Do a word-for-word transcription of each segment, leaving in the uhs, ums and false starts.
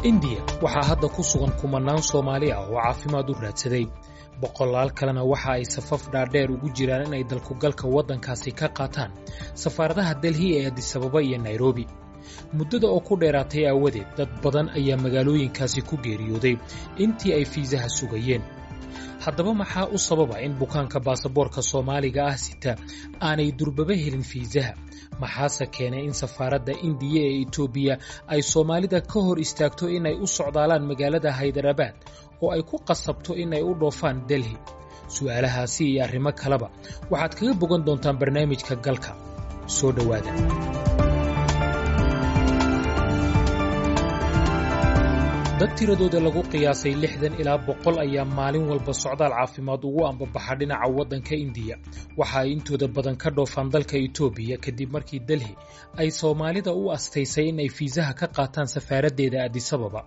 Indiya waxaa hadda ku sugan kumanaan Soomaali ah oo caafimaad u raadsaday. Boqolaal kalena waxa ay safaf dhaadheer ugu jiraan inay dalkugalka waddankaasi ka qaataan safaaradaha Delhi ee Addis Ababa iyo Nairobi. Muddada oo ku dheeraatay aawadeed, dad badan ayaa magaalooyinkaasi ku geeriyooday intii ay fiisaha sugayeen. Haddaba, maxaa u sababa in bukaanka baasaboorka Soomaaliga ah sita aanay durbaba helin fiisaha? Maxaase keenay in safaaradda Indiya ee Itoobiya ay Soomaalida ka hor istaagto inay u socdaalaan magaalada Haydarabaad oo ay ku qasabto inay u dhoofaan Delhi? Su'aalahaasi iyo arrimo kaleba waxaad kaga bogan doontaan barnaamijka Galka. Soo dhowaada. Dad tiradooda lagu qiyaasay lixdan ilaa boqol ayaa maalin walba socdaal caafimaad ugu ambabaxa dhinaca waddanka Indiya. Waxa ay intooda badan ka dhoofaan dalka Itoobiya, kadib markii Delhi ay Soomaalida u astaysay in ay fiisaha ka qaataan safaaraddeeda Addis Ababa.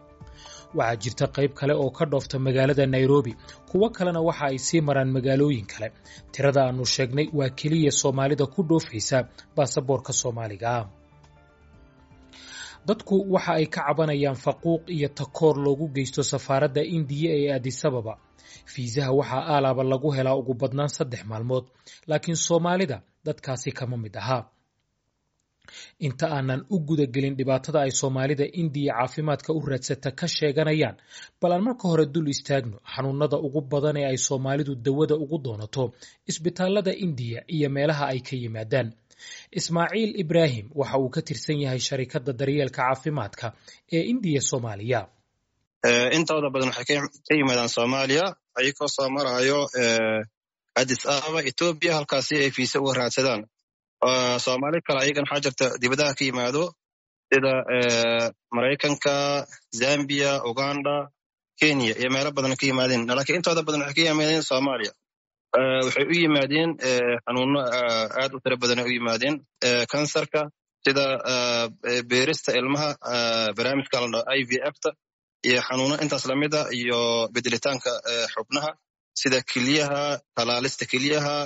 Waxaa jirta qayb kale oo ka dhoofta magaalada Nairobi, kuwo kalena waxa ay sii maraan magaalooyin kale. Tirada aannu sheegnay waa keliya Soomaalida ku dhoofaysa baasaboorka Soomaaliga ah. Dadku waxa ay ka cabanayaan faquuq iyo takoor loogu geysto safaaradda Indiya ee Addis Ababa. Fiisaha waxaa aalaaba lagu helaa ugu badnaan saddex maalmood, laakiin Soomaalida dadkaasi kama mid ahaa. Inta aanan u gudagelin dhibaatada ay Soomaalida Indiya caafimaadka u raadsata ka sheeganayaan, bal aan marka hore dul istaagno xanuunada ugu badan ee ay Soomaalidu dawada ugu doonato isbitaalada Indiya iyo meelaha ay ka yimaadaan. Ismaaciil Ibraahim waxa uu ka tirsan yahay sharikadda daryeelka caafimaadka ee Indiya Soomaaliya. Intooda badan waxay ka yimaadaan Soomaaliya, ayagoo soo marayo Addis Ababa, Etoobiya, halkaasi ay fiisa uga raadsadaan. Soomaali kale ayagana waxaa jirta dibadaha ka yimaado, sida Maraykanka, Zambia, Uganda, Kenya iyo meelo badan ka yimaadeen, laakiin intooda badan waxay ka yimaadeen Soomaaliya. Waxay u yimaadeen xanuuno aad u tiro badan ay u yimaadeen: kansarka, sida beerista ilmaha, barnaamijka la dhaho I V F ta, iyo xanuuno intaas lamid a, iyo bedelitaanka xubnaha sida keliyaha, talaalista keliyaha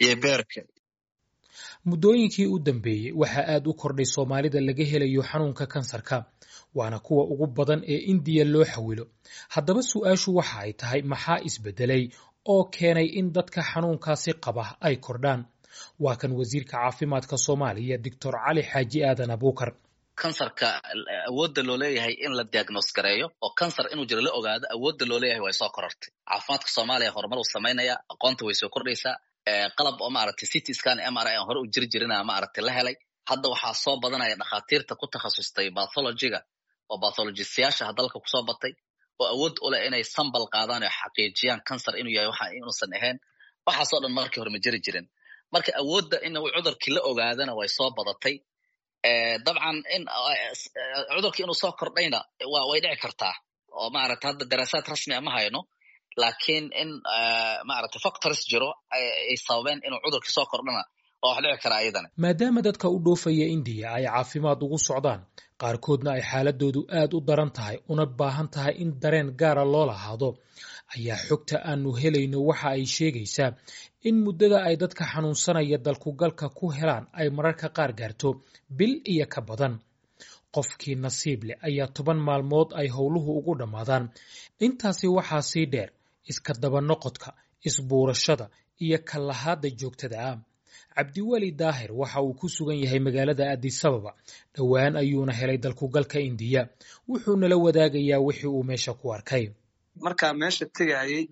iyo beerka. Muddooyinkii u dambeeyey waxaa aad u kordhay Soomaalida laga helayo xanuunka kansarka, waana kuwa ugu badan ee Indiya loo xawilo. Haddaba, su'aashu waxa ay tahay: maxaa isbedelay oo keenay in dadka xanuunkaasi qaba ay kordhaan? Waa kan wasiirka caafimaadka Soomaaliya, Doctor Cali Xaaji Aadan Abuukar. Kansarka awoodda loo leeyahay in la diagnose gareeyo oo kansar inuu jiro la ogaado, awoodda loo leeyahay way soo korortay. Caafimaadka Soomaaliya horumar uu samaynaya, aqoonta way soo kordhaysaa. Qalab oo maaragtay C T scan, M R I aan hore u jiri jirina maaragtay la helay. Hadda waxaa soo badanaya dhakhaatiirta ku takhasustay pathologyga oo pathologistayaasha dalka kusoo batay oo awood u leh inay sample qaadaan oo xaqiijiyaan kansar inuu yahay waxa inuusan ahayn. Waxaasoo dhan markii hore ma jiri jirin. Marka awoodda in cudurkii la ogaadana way soo badatay. Dabcan, in cudurkii inuu soo kordhayna wa way dhici kartaa, oo maaragta hadda daraasaad rasmi a ma hayno, laakiin in maaragtay factors jiro ay sababeen inuu cudurkii soo kordhana waa wax dhici karaa ayadana. Maadaama dadka u dhoofaya Indiya ay caafimaad ugu socdaan, qaarkoodna ay xaaladoodu aad u daran tahay una baahan tahay in dareen gaara loo lahaado, ayaa xogta aanu helayno waxa ay sheegaysaa in muddada ay dadka xanuunsanaya dalkugalka ku helaan ay mararka qaar gaarto bil iyo ka badan. Qofkii nasiib leh ayaa toban maalmood ay howluhu ugu dhammaadaan. Intaasi waxaa sii dheer iska daba noqodka, isbuurashada iyo kallahaadda joogtada ah. Cabdiweli Daahir waxa uu ku sugan yahay magaalada Addis Ababa. Dhowaan ayuuna helay dalkugalka Indiya. Wuxuu nala wadaagayaa wixii uu meesha ku arkay. Markaa meesha tegayay,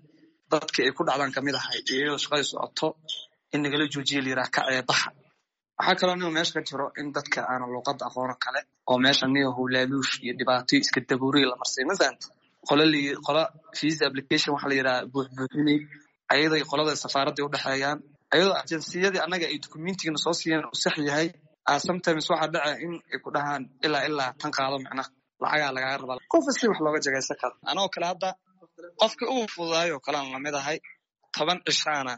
dadkii ay ku dhacdaan kamid ahay, iyadoo shaqadii socoto in nagala joojiya, la yiraha kacee baxa. Waxaa kaloo niyo meesha ka jiro in dadka aanan luuqadda aqoono kale oo meesha niyo howlaaluush iyo dhibaatoyo iska dabuuriya la marsay. Ma fahanta? Qola qola visa application waxa la yidhaha buuxbuuxinay, ayaday qolada safaaradday udhexeeyaan, ayadoo agencyyadii annaga ay documentigana soo siiyeen uu sax yahay. Sometimes waxaa dhaca in ay ku dhahaan ilaa ilaa tan qaado, macnaha lacagaa lagaaga rabaa. Qofa si wax looga jagaysan karo. Anoo kale hadda qofkii ugu fududaayo kalean lamid ahay, toban cishaana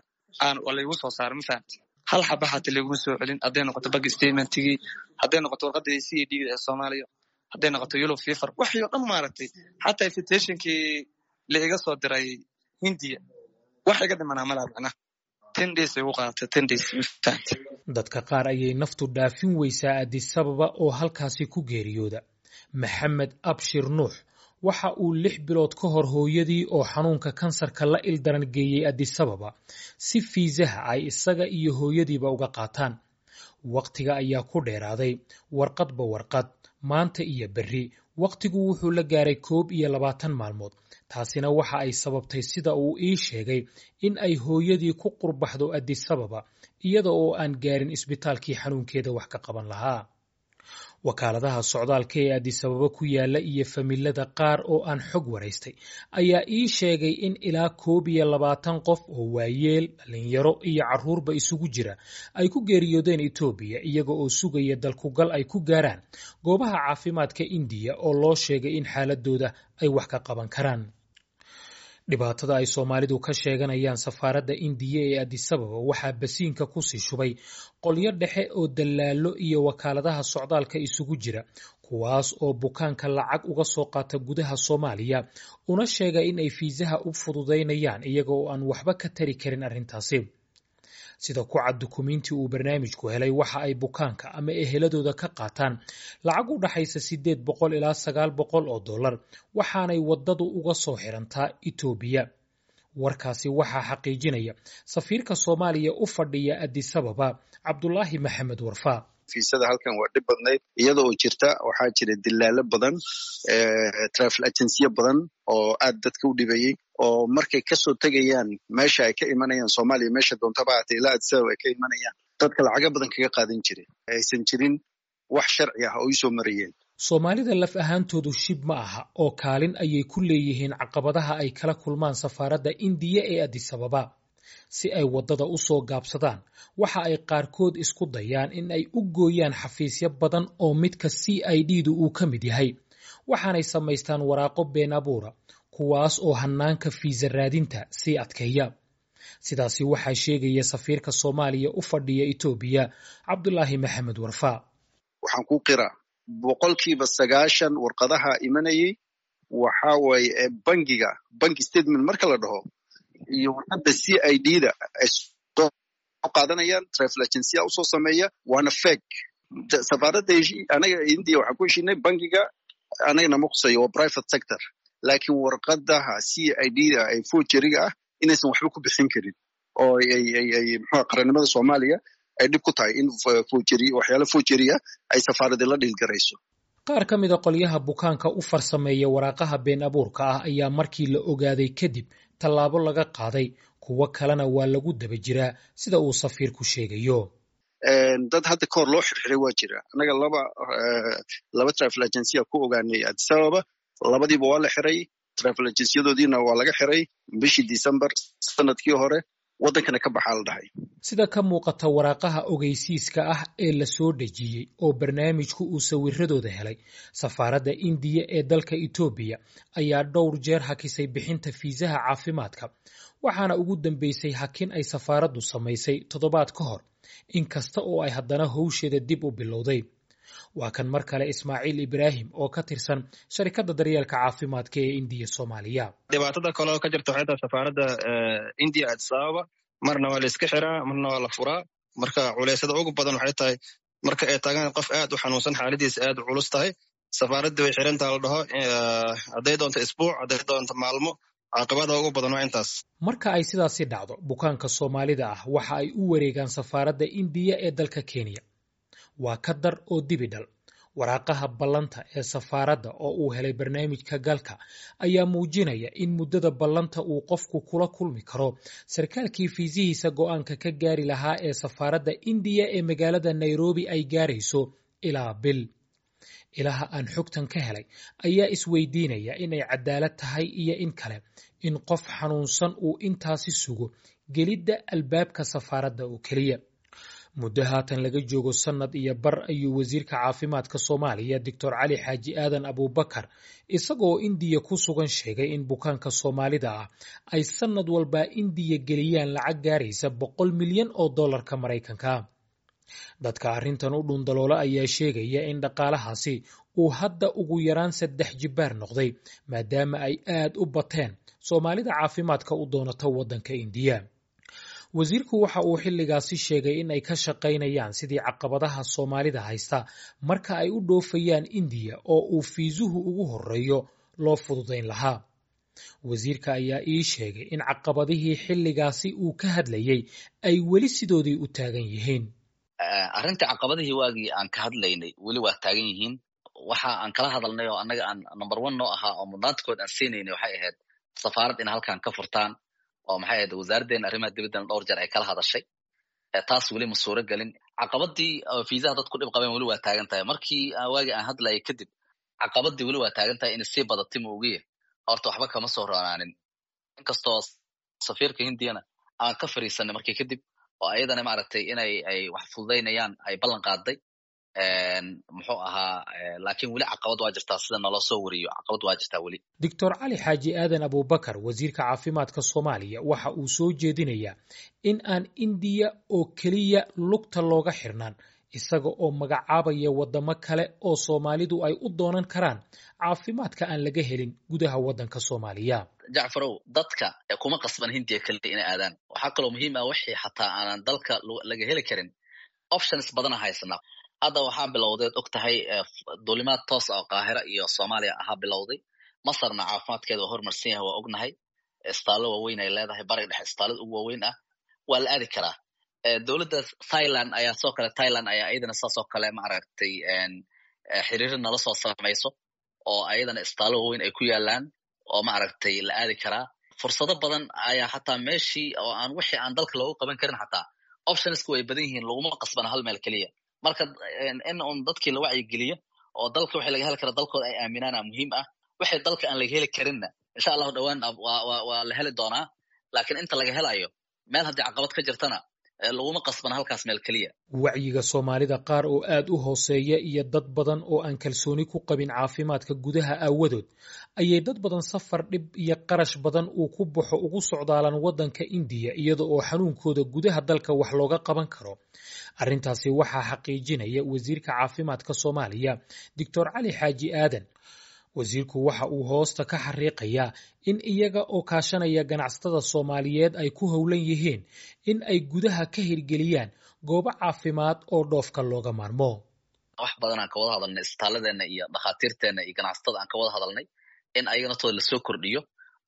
aan laygu soo saaray. Ma fahamti? Hal xaba xata layguma soo celin, hadday noqoto bank statementigii, hadday noqoto warqadda C A D ee Soomaaliya, hadday noqoto yellow fever, waxii oo dhan maaragtay, xataa invitationkii la iga soo diray Hindiya wax iga dhimanaa malaha. Macnaha ten days ay ugu qaadatay, ten days. Ma fahamti? Dadka qaar ayay naftu dhaafin weysaa Addis Ababa oo halkaasi ku geeriyooda. Maxamed Abshir Nuux Waxa uu lix bilood ka hor hooyadii oo xanuunka kansarka la ildaran geeyey Adisababa si fiisaha ay isaga iyo hooyadiiba uga qaataan. Wakhtiga ayaa ku dheeraaday, warqadba warqad, maanta iyo berri. Wakhtigu wuxuu la gaaray koob iyo labaatan maalmood. Taasina waxa ay sababtay, sida uu ii sheegay, in ay hooyadii ku qurbaxdo Adisababa iyada oo aan gaarin isbitaalkii xanuunkeeda wax ka qaban lahaa. Wakaaladaha socdaalka ee Adisababa ku yaala iyo familada qaar oo aan xog waraystay ayaa ii sheegay in ilaa koob iyo labaatan qof oo waayeel, dhalinyaro iyo carruurba isugu jira ay ku geeriyoodeen Itoobiya iyaga oo sugaya dalkugal ay ku gaaraan goobaha caafimaadka Indiya oo loo sheegay in xaaladooda ay wax ka qaban karaan. Dhibaatada ay Soomaalidu ka sheeganayaan safaaradda Indiya ee Adisababa waxaa basiinka kusii shubay qolyo dhexe oo dalaalo iyo wakaaladaha socdaalka isugu jira, kuwaas oo bukaanka lacag uga soo qaata gudaha Soomaaliya una sheega in ay fiisaha u fududaynayaan iyaga oo aan waxba ka tari karin arrintaasi. Sida ku cad dukumiintii uu barnaamijku helay, waxa ay bukaanka ama eheladooda ka qaataan lacag u dhaxaysa sideed boqol ilaa sagaal boqol oo dollar, waxaanay waddadu uga soo xirantaa Itoobiya. Warkaasi waxaa xaqiijinaya safiirka Soomaaliya u fadhiya Adisababa, Cabdulaahi Maxamed Warfaa. Fiisada halkan waa dhib badnayd iyada oo jirta. Waxaa jira dilaalo badan, travel agency badan oo aad dadka u dhibayey, oo markay kasoo tegayaan meesha ay ka imanayaan Soomaaliya, meesha doontaba haatee, ilaa Addis Ababa ay ka imanayaan, dadka lacaga badan kaga qaadan jiray, aysan jirin wax sharci ah oo isoo marayeen. Soomaalida laf ahaantoodu shib ma aha oo kaalin ayay ku leeyihiin caqabadaha ay kala kulmaan safaaradda Indiya ee Adisababa. Si ay waddada u soo gaabsadaan, waxa ay qaarkood isku dayaan in ay u gooyaan xafiisyo badan oo midka C I D du uu ka mid yahay, waxaanay samaystaan waraaqo been abuura, kuwaas oo hanaanka fiisa raadinta sii adkeeya. Sidaasi waxaa sheegaya safiirka Soomaaliya u fadhiya Itoobiya, Cabdulaahi Maxamed Warfaa. Waxaan ku qiraa boqolkiiba sagaashan warqadaha imanayay waxa waaye bangiga, bank statement marka la dhaho iyo warqadda C I D da ay soo qaadanayaan, travel agency usoo sameeya, waana fake. Safaaradda anaga India waxaan ku heshiinay bangiga anaga nama qusayo, waa private sector, laakiin warqadaha C I D da ay forgeryga ah inaysan waxba ku bixin karin oo ay ay ay muxuu qarannimada Soomaaliya ay dhib ku tahay in forgery, waxyaalo forgery ah ay safaaradda la dhiilgarayso. Qaar ka mida qolyaha bukaanka u farsameeya waraaqaha been abuurka ah ayaa markii la ogaaday kadib tallaabo laga qaaday, kuwo kalena waa lagu daba jiraa, sida uu safiirku sheegayo. Dad hadda kahor loo xirxiray waa jira. Annaga laba laba travel agency ku ogaanay Addis Ababa, labadiiba waa la xiray, travel agency-yadoodiina waa laga xiray bishii December sanadkii hore, waddankana ka baxaa la dhahay. Sida ka muuqata waraaqaha ogeysiiska ah ee la soo dhejiyey oo barnaamijku uu sawiradooda helay, safaaradda Indiya ee dalka Itoobiya ayaa dhowr jeer hakisay bixinta fiisaha caafimaadka, waxaana ugu dambeysay hakin ay safaaraddu samaysay toddobaad ka hor, inkasta oo ay haddana howsheeda dib u bilowday. Waa kan mar kale Ismaaciil Ibraahim oo ka tirsan sharikadda daryeelka caafimaadka ee Indiya Soomaaliya. Dhibaatada kale oo ka jirta waxay tahay safaaradda Indiya Addis Ababa marna waa la iska xiraa, marna waa la furaa. Marka culeysyada ugu badan waxay tahay marka ay taagaan qof aad u xanuunsan, xaaladiisa aad u culus tahay, safaaradda way xirantaha la dhaho, hadday doonto isbuuc, hadday doonto maalmo. Caqabada ugu badan waa intaas. Marka ay sidaasi dhacdo, bukaanka Soomaalida ah waxa ay u wareegaan safaaradda Indiya ee dalka Kenya. Waa ka dar oo dibi dhal. Waraaqaha ballanta ee safaaradda oo uu helay barnaamijka Galka ayaa muujinaya in muddada ballanta uu qofku kula kulmi karo sarkaalkii fiisihiisa go'aanka ka gaari lahaa ee safaaradda Indiya ee magaalada Nairobi ay gaarayso ilaa bil. Ilaha aan xogtan ka helay ayaa isweydiinaya inay cadaalad tahay iyo in kale in qof xanuunsan uu intaasi sugo gelidda albaabka safaaradda oo keliya. Muddo haatan laga joogo sannad iyo bar ayuu wasiirka caafimaadka Soomaaliya, Doctor Cali Xaaji Aadan Abuubakar, isagoo Indiya ku sugan sheegay in bukaanka Soomaalida ah ay sannad walba Indiya geliyaan lacag gaaraysa boqol milyan oo dollarka Maraykanka. Dadka arrintan u dhundaloola ayaa sheegaya in dhaqaalahaasi uu hadda ugu yaraan saddex jibbaar noqday, maadaama ay aad u bateen Soomaalida caafimaadka u doonata waddanka Indiya. Wasiirku waxa uu xilligaasi sheegay in ay ka shaqaynayaan sidii caqabadaha Soomaalida haysta marka ay u dhoofayaan Indiya oo uu fiisuhu ugu horreeyo loo fududayn lahaa. Wasiirka ayaa ii sheegay in caqabadihii xilligaasi uu ka hadlayey ay weli sidoodii u taagan yihiin. Arrintii caqabadihii waagii aan ka hadlaynay weli waa taagan yihiin. Waxa aan kala hadalnay oo annaga aan number one noo ahaa oo mudnaantakood aan siinaynay waxay ahayd safaarad in halkan ka furtaan, oo maxay ahayd wasaaraddeena arrimaha dibaddana dhowr jeer ay kala hadashay. Taas weli ma suuro gelin. Caqabadii fiisaha dadku dhib qabeen weli waa taagan tahay. Markii waagii aan hadlayay kadib caqabadii weli waa taagan tahay, inay sii badatay ma ogiye horta waxba kama soo roonaanin. Inkastoo safiirka hindiyana aan ka fariisanay markii kadib, oo ayadana maaragtay inay ay wax fududaynayaan ay ballan qaaday, muxuu ahaa, laakiin weli caqabad waa jirtaa sida naloo soo wariyo, caqabad waa jirtaa weli. Doctor Cali Xaaji Aadan Abuubakar, wasiirka caafimaadka Soomaaliya, waxa uu soo jeedinayaa in aan Indiya oo keliya lugta looga xirnaan, isaga oo magacaabaya waddamo kale oo Soomaalidu ay u doonan karaan caafimaadka aan laga helin gudaha waddanka Soomaaliya. Jacfarow, dadka kuma qasban Hindiya keliya inay aadaan. Waxaa kaloo muhiim ah wixii xataa aanan dalka laga heli karin, options badana haysanaa. Hadda waxaa bilowdeed og tahay duulimaad toos ah oo Qaahira iyo Soomaaliya ahaa bilowday. Masarna caafimaadkeeda waa horumarsan yahay, waa ognahay. Istaallo waaweyn ay leedahay, bariga dhexe istaalada ugu waaweyn ah, waa la aadi karaa. Dowladda Thailand ayaa soo kale, Thailand ayaa iyadana saas oo kale maaragtay xiriir nala soo samayso, oo ayadana istaallo waaweyn ay ku yaalaan oo maaragtay la aadi karaa. Fursado badan ayaa xataa meeshii oo aan wixii aan dalka loogu qaban karin xataa optionsku way badan yihiin, laguma qasbana hal meel keliya. Marka in un dadkii la wacyigeliyo oo dalka wixii laga heli kara dalkooda ay aaminaana muhiim ah. Wixii dalka aan laga heli karinna insha allahu dhowaan waa waa la heli doonaa, laakiin inta laga helayo meel haddii caqabad ka jirtana laguma qasbana halkaas meel keliya. Wacyiga Soomaalida qaar oo aad u hooseeya iyo dad badan oo aan kalsooni ku qabin caafimaadka gudaha aawadood ayay dad badan safar dhib iyo qarash badan uu ku baxo ugu socdaalaan waddanka Indiya, iyada oo xanuunkooda gudaha dalka wax looga qaban karo. Arrintaasi waxaa xaqiijinaya wasiirka caafimaadka Soomaaliya, Doctor Cali Xaaji Aadan. Wasiirku waxa uu hoosta ka xariiqayaa in iyaga oo kaashanaya ganacsatada Soomaaliyeed ay ku howlan yihiin in ay gudaha ka hirgeliyaan goobo caafimaad oo dhoofka looga maarmo. Wax badan aan ka wada hadalnay isbitaalladeena iyo dhakhaatiirteena iyo ganacsatada aan ka wada hadalnay in ayaga naftooda lasoo kordhiyo,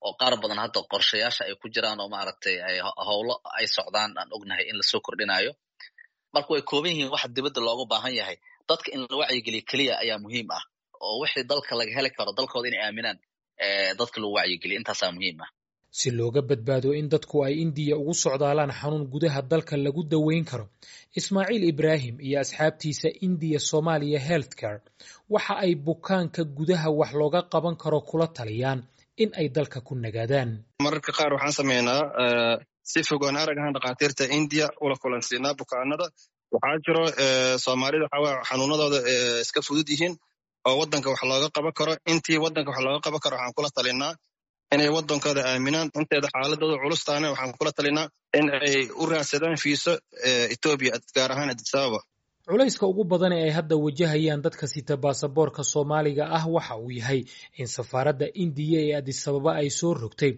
oo qaar badan hadda qorshayaasha ay ku jiraan oo maaragtay ay howlo ay socdaan aan ognahay in lasoo kordhinayo. Marka way kooban yihiin waxa dibadda looga baahan yahay. Dadka in la wacyigeliyo keliya ayaa muhiim ah, oo wixii dalka laga heli karo dalkooda inay aaminaan dadka lagu wacyigeliyo, intaasaa muhiim ah. Si looga badbaado in dadku ay Indiya ugu socdaalaan xanuun gudaha dalka lagu daweyn karo, Ismaaciil Ibraahim iyo asxaabtiisa Indiya Soomaaliya Healthcare waxa ay bukaanka gudaha wax looga qaban karo kula taliyaan in ay dalka ku nagaadaan. Mararka qaar waxaan sameynaa si fogaan arag ahaan dhakhaatiirta Indiya ula kulansiinaa bukaanada. Waxaa jiro Soomaalida waxaa xanuunadooda iska fudud yihiin oo waddanka wax looga qaban karo. Intii waddanka wax looga qaban karo waxaan kula talinaa inay waddankooda aaminaan. Inteeda xaaladooda culustaana waxaan kula talinaa in ay u raadsadaan fiiso Etoobiya, gaar ahaan Addis Ababa. Culayska ugu badan ee ay hadda wajahayaan dadka sita baasaboorka Soomaaliga ah waxa uu yahay in safaaradda Indiya ee Addis Ababa ay soo rogtay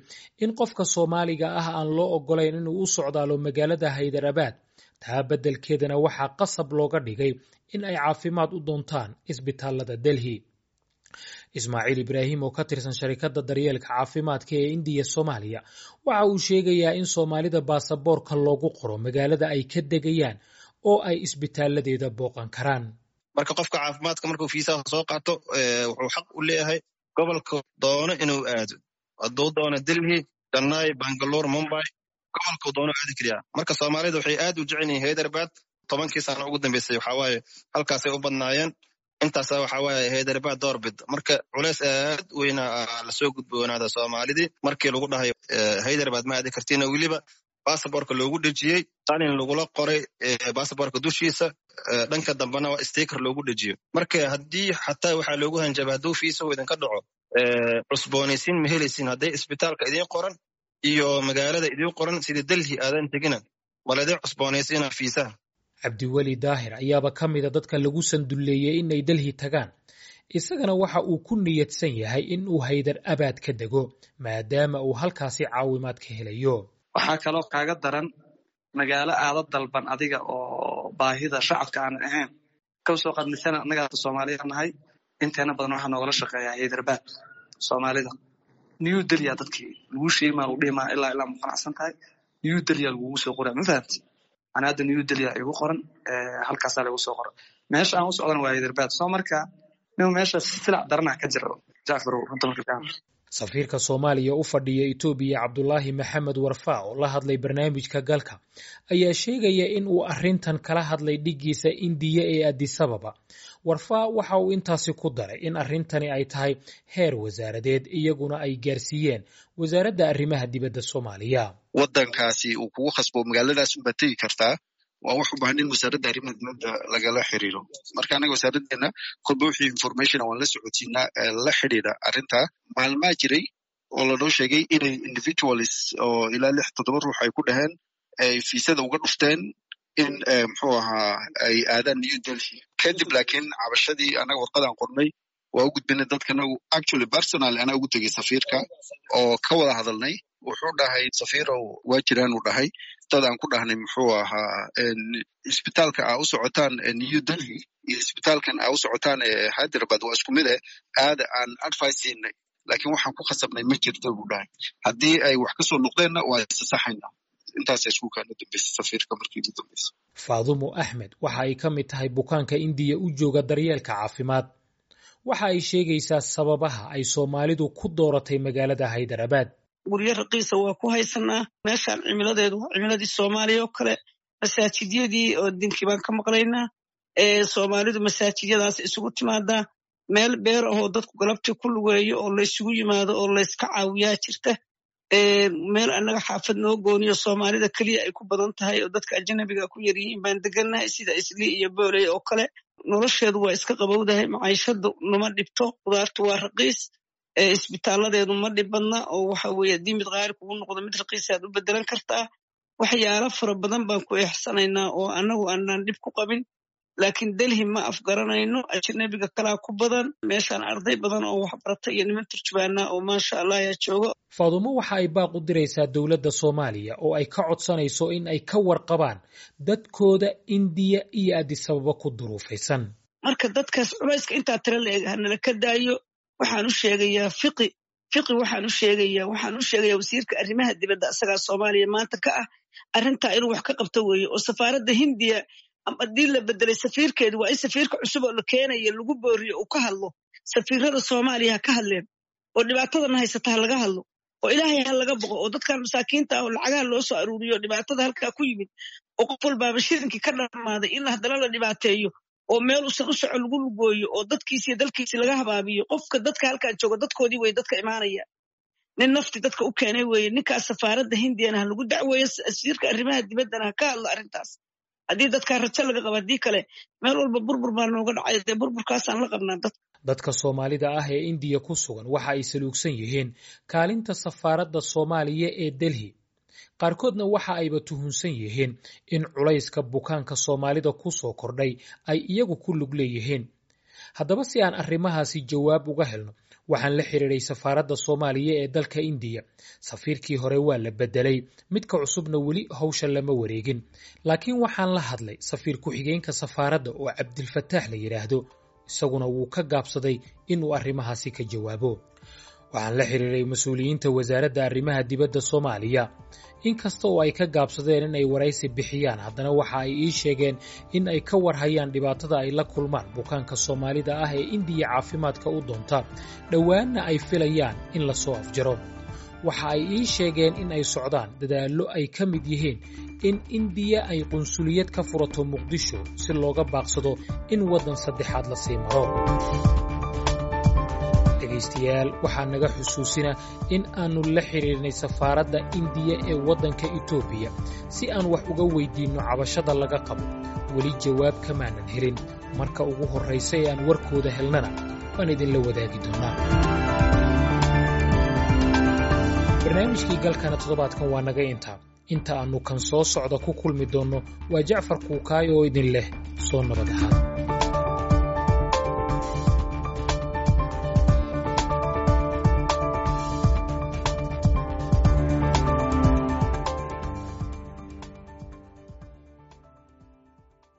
in qofka Soomaaliga ah aan loo ogolayn inuu u socdaalo magaalada Haydarabad. Taa beddelkeedana waxaa qasab looga dhigay in ay caafimaad u doontaan isbitaalada Delhi. Ismaaciil Ibraahim oo ka tirsan sharikadda daryeelka caafimaadka ee Indiya Soomaaliya waxa uu sheegayaa in Soomaalida baasaboorka loogu qoro magaalada ay ka degayaan oo ay isbitaaladeeda booqan karaan. Marka qofka caafimaadka markuu fiisaha soo qaato, wuxuu xaq u leeyahay gobolka doono inuu aado. Hadduu doono Delhi, Chennai, Bangalore, Mumbai, gobolkuu doono aadi kariyaa. Marka Soomaalida waxay aad u jecel yihiin Hyderabad. Tobankii sano ugu dambeysay waxaa waaye halkaasay u badnaayeen. Intaasa waxaa waaye Hyderabad doorbid. Marka culeys aad weyna lasoo gudboonaada Soomaalidii markii lagu dhahay Hyderabad ma aadi kartiin, weliba basaborka loogu dhejiyey qalin lagula qoray basaborka dushiisa, dhanka dambena waa sticker loogu dhejiyo. Marka haddii xataa waxaa loogu hanjaba hadduu fiisahu idinka dhaco cusboonaysiin ma helaysiin, hadday isbitaalka idiin qoran iyo magaalada idiin qoran sida Delhi aadan tegina maladii cusboonaysiina fiisaha. Cabdiweli Daahir ayaaba ka mida dadka lagu sandulleeyey inay Delhi tagaan. Isagana waxa uu ku niyadsan yahay in uu Haydar Abaad ka dego maadaama uu halkaasi caawimaad ka helayo. Waxaa kaloo kaaga daran magaalo aada dalban adiga oo baahida shacabka aanan ahayn. Ka soo qaad misana annaga Soomaaliya nahay, inteena badan waxaa noogala shaqeeyaa Hyderabad. Soomaalida New Delhi dadkii lagu sheegi maa lagu dhihi maa ilaa ilaa ma qanacsan tahay New Delhi lagugu soo qoraa, ma fahamti? Ana hadda New Delhi igu qoran, halkaasaa lagu soo qoran. Meesha aan u socdana waa Hyderabad. Soo marka nin meesha silac darana ka jiro, Jacfar, runta marka ka Safiirka Soomaaliya u fadhiya Itoobiya, Cabdulaahi Maxamed Warfaa, oo la hadlay barnaamijka Galka, ayaa sheegaya in uu arrintan kala hadlay dhiggiisa Indiya ee Addis Ababa. Warfaa waxa uu intaasi ku daray in arrintani ay tahay heer wasaaradeed, iyaguna ay gaarsiiyeen Wasaaradda Arrimaha Dibadda Soomaaliya. Waddankaasi uu kugu khasbo magaaladaas unbaad tegi kartaa, waa wax u baahan in Wasaaradda Arrimaha Dibadda lagala xiriiro. Marka anaga wasaaraddeena kolba wixii information waan la socodsiinaa la xidhiidha arrintaa. Maalmaa jiray oo lanoo sheegay inay individuals oo ilaa lix toddoba ruux ay ku dhaheen ay fiisada uga dhufteen in muxuu ahaa ay aadaan New Delhi kadib. Laakiin cabashadii anaga warqadaan qornay waa u gudbinay dadkana. Actually, personal anaa ugu tegey safiirka oo ka wada hadalnay. Wuxuu dhahay, "Safiirow, waa jiraan," uu dhahay, "dad aan ku dhahnay muxuu ahaa isbitaalka aa u socotaan New Delhi iyo isbitaalkan aa u socotaan Hyderabad waa isku mid eh, aada aan advice siinay, laakiin waxaan ku khasabnay ma jirto," buu dhahay. "Haddii ay wax kasoo noqdeenna waa isasaxayna." Intaasa isku kaana dambeysay safiirka markii ugu dambeysay. Faadumo Axmed waxa ay ka mid tahay bukaanka Indiya u jooga daryeelka caafimaad. Waxa ay sheegaysaa sababaha ay Soomaalidu ku dooratay magaalada Haydarabad. Guryo raqiisa waa ku haysanaa. Meeshaan cimiladeedu waa cimiladii Soomaaliya oo kale. Masaajidyadii oo dinkii baan ka maqlaynaa. Soomaalidu masaajidyadaas isugu timaadaa. Meel beer ahoo dadku galabtii ku lugeeyo oo laysugu yimaado oo layska caawiyaa jirta. Meel annaga xaafad noo gooniyo Soomaalida keliya ay ku badan tahay oo dadka ajanabiga ku yaryihiin baan degannahay, sida Islii iyo Booley oo kale. Nolosheedu waa iska qabowdahay, maciishadu nama dhibto, qudaartu waa raqiis, isbitaaladeedu ma dhib badna, oo waxa weeye haddii mid qaali kugu noqdo mid raqiisaad u bedelan kartaa. Waxyaalo fara badan baan ku eexsanaynaa oo annagu aanaan dhib ku qabin. Laakiin Delhi ma afgaranayno, ajanabiga kalaa ku badan meeshaan, arday badan oo waxbarata iyo niman turjubaana oo maasha Allah ayaa jooga. Faadumo waxa ay baaq u diraysaa dowladda Soomaaliya oo ay ka codsanayso in ay ka warqabaan dadkooda Indiya iyo Addis Ababa ku duruufaysan. Marka dadkaas culayska intaa tira la eg hanala ka daayo. Waxaan u sheegayaa Fiqi, Fiqi waxaan u sheegayaa, waxaan u sheegayaa wasiirka arrimaha dibadda, asagaa Soomaaliya maanta ka ah. Arrintaa inuu wax ka qabto weeye, oo safaaradda Hindiya haddii la bedelay safiirkeedu, waa in safiirka cusub oo la keenaya lagu booriyo uu ka hadlo. Safiirada Soomaaliya ha ka hadleen oo dhibaatadana haysata ha laga hadlo, oo Ilaahay ha laga boqo, oo dadkan masaakiinta ah oo lacagaha loo soo aruuriyo dhibaatada halkaa ku yimid, oo qof walbaaba shilinkii ka dhammaaday, in haddana la dhibaateeyo oo meel usan u soco lagu lugooyo oo dadkiisi iyo dalkiisi laga habaabiyo. Qofka dadka halkan jooga dadkoodii wey dadka imaanaya, nin nafti dadka u keenay weeye. Ninkaas safaaradda Hindiyana ha lagu dacweeyo, wasiirka arrimaha dibaddana ha ka hadlo arrintaas haddii dadkaa rajo laga qaba. Haddii kale meel walba burbur baa nooga dhacay, dee burburkaasaan la qabnaa dadka. Dadka Soomaalida ah ee Indiya ku sugan waxa ay saluugsan yihiin kaalinta safaaradda Soomaaliya ee Delhi. Qaarkoodna waxa ayba tuhunsan yihiin in culayska bukaanka Soomaalida ku soo kordhay ay iyagu ku lug leeyihiin. Haddaba, si aan arrimahaasi jawaab uga helno, waxaan la xiriiray safaaradda Soomaaliya ee dalka Indiya. Safiirkii hore waa la bedelay, midka cusubna weli hawsha lama wareegin, laakiin waxaan la hadlay safiir ku-xigeenka safaaradda oo Cabdilfataax la yidhaahdo. Isaguna wuu ka gaabsaday inuu arrimahaasi ka jawaabo. Waxaan la xiriiray mas-uuliyiinta Wasaaradda Arrimaha Dibadda Soomaaliya. Inkasta oo ay ka gaabsadeen in ay waraysi bixiyaan, haddana waxa ay ii sheegeen in ay ka warhayaan dhibaatada ay la kulmaan bukaanka Soomaalida ah ee Indiya caafimaadka u doonta, dhowaanna ay filayaan in lasoo afjaro. Waxa ay ii sheegeen in ay socdaan dadaallo ay ka mid yihiin in Indiya ay qunsuliyad ka furato Muqdisho si looga baaqsado in waddan saddexaad la sii maro. Dhegaystayaal, waxaa naga xusuusina in aannu la xiriirnay safaaradda Indiya ee waddanka Itoobiya si aan wax uga weydiinno cabashada laga qabo. Weli jawaab kamaanan helin. Marka ugu horraysa ee aan warkooda helnana waan idinla wadaagi doonaa. Barnaamijkii Galkana toddobaadkan waa naga intaa. Inta aannu kan soo socda ku kulmi doonno, waa Jacfar Kuukaay oo idin leh soo nabad ahaada.